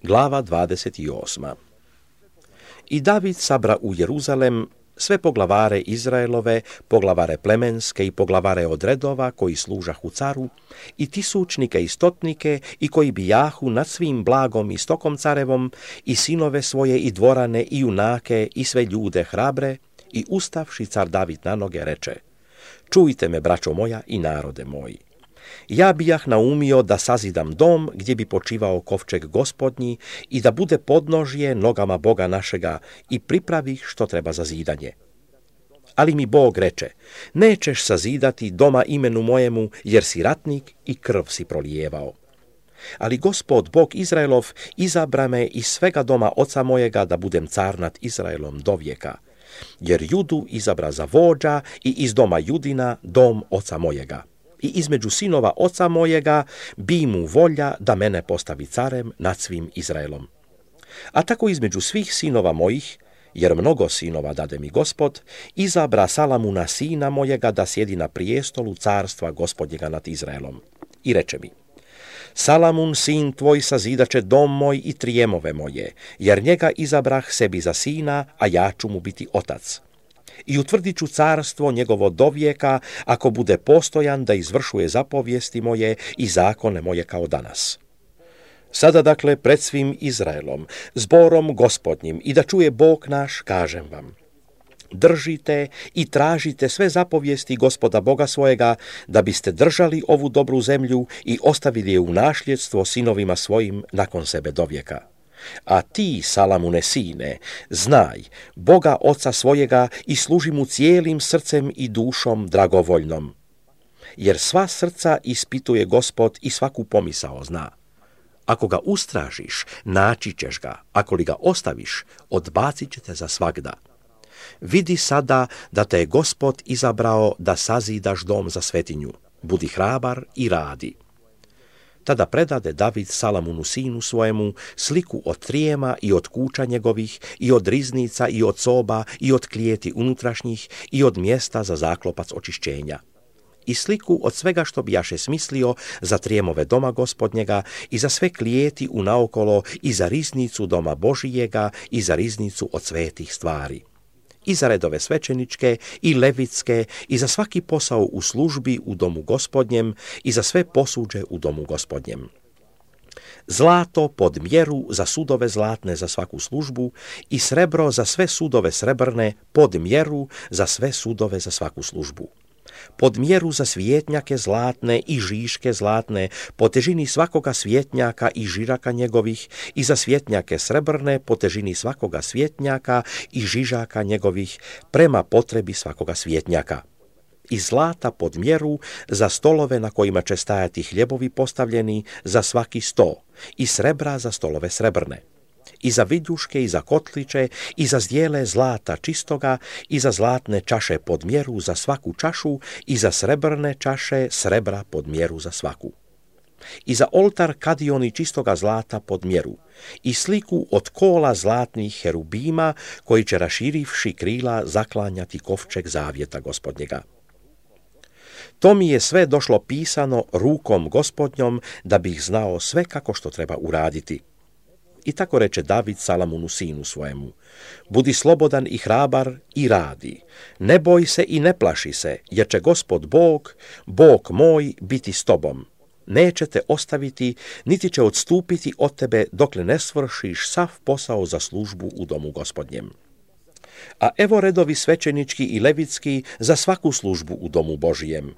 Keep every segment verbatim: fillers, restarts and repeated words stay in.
Glava dvadeset osma. I David sabra u Jeruzalem sve poglavare Izraelove, poglavare plemenske i poglavare od redova koji služahu caru, i tisućnike i stotnike i koji bijahu nad svim blagom i stokom carevom, i sinove svoje i dvorane i junake i sve ljude hrabre, i ustavši car David na noge reče: Čujte me, braćo moja i narode moji. Ja bijah naumio da sazidam dom gdje bi počivao kovčeg Gospodnji i da bude podnožje nogama Boga našega i pripravih što treba za zidanje. Ali mi Bog reče: nećeš sazidati doma imenu mojemu, jer si ratnik i krv si prolijevao. Ali Gospod Bog Izraelov izabra me iz svega doma oca mojega da budem car nad Izraelom dovijeka, jer Judu izabra za vođa i iz doma Judina dom oca mojega. I između sinova oca mojega bi mu volja da mene postavi carem nad svim Izraelom. A tako između svih sinova mojih, jer mnogo sinova dade mi Gospod, izabra Salamuna sina mojega da sjedi na prijestolu carstva Gospodnjega nad Izraelom. I reče mi: Salamun sin tvoj sazidaće dom moj i trijemove moje, jer njega izabrah sebi za sina, a ja ću mu biti otac. I utvrdit ću carstvo njegovo dovijeka, ako bude postojan da izvršuje zapovijesti moje i zakone moje kao danas. Sada dakle pred svim Izraelom, zborom Gospodnjim, i da čuje Bog naš, kažem vam: držite i tražite sve zapovijesti Gospoda Boga svojega, da biste držali ovu dobru zemlju i ostavili je u nasljedstvo sinovima svojim nakon sebe dovijeka. A ti, Salamune sine, znaj Boga oca svojega i služi mu cijelim srcem i dušom dragovoljnom. Jer sva srca ispituje Gospod i svaku pomisao zna. Ako ga ustražiš, naći ćeš ga, ako li ga ostaviš, odbacit će te za svagda. Vidi sada da te je Gospod izabrao da sazidaš dom za svetinju. Budi hrabar i radi. Tada predade David Salamunu sinu svojemu sliku od trijema i od kuća njegovih, i od riznica i od soba, i od klijeti unutrašnjih, i od mjesta za zaklopac očišćenja. I sliku od svega što bijaše smislio za trijemove doma Gospodnjega, i za sve klijeti unaokolo, i za riznicu doma Božijega, i za riznicu od svetih stvari. I za redove svećeničke i levitske, i za svaki posao u službi u domu Gospodnjem, i za sve posuđe u domu Gospodnjem. Zlato pod mjeru za sudove zlatne za svaku službu, i srebro za sve sudove srebrne pod mjeru za sve sudove za svaku službu. Pod mjeru za svijetnjake zlatne i žiške zlatne, po težini svakoga svjetnjaka i žiraka njegovih, i za svjetnjake srebrne, po težini svakoga svjetnjaka i žižaka njegovih, prema potrebi svakoga svjetnjaka. I zlata pod mjeru za stolove na kojima će stajati hljebovi postavljeni za svaki sto, i srebra za stolove srebrne. I za vidjuške, i za kotliće, i za zdjele zlata čistoga, i za zlatne čaše pod mjeru za svaku čašu, i za srebrne čaše srebra pod mjeru za svaku. I za oltar kadioni čistoga zlata pod mjeru, i sliku od kola zlatnih herubima, koji će raširivši krila zaklanjati kovčeg zavjeta Gospodnjega. To mi je sve došlo pisano rukom Gospodnjom, da bih znao sve kako što treba uraditi. I tako reče David Salamunu sinu svojemu: budi slobodan i hrabar i radi. Ne boj se i ne plaši se, jer će Gospod Bog, Bog moj, biti s tobom. Neće te ostaviti, niti će odstupiti od tebe, dokle ne svršiš sav posao za službu u domu Gospodnjem. A evo redovi svećenički i levitski za svaku službu u domu Božijem.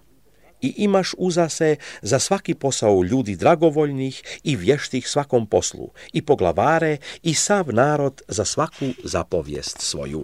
I imaš uza se za svaki posao ljudi dragovoljnih i vještih svakom poslu, i poglavare, i sav narod za svaku zapovijest svoju.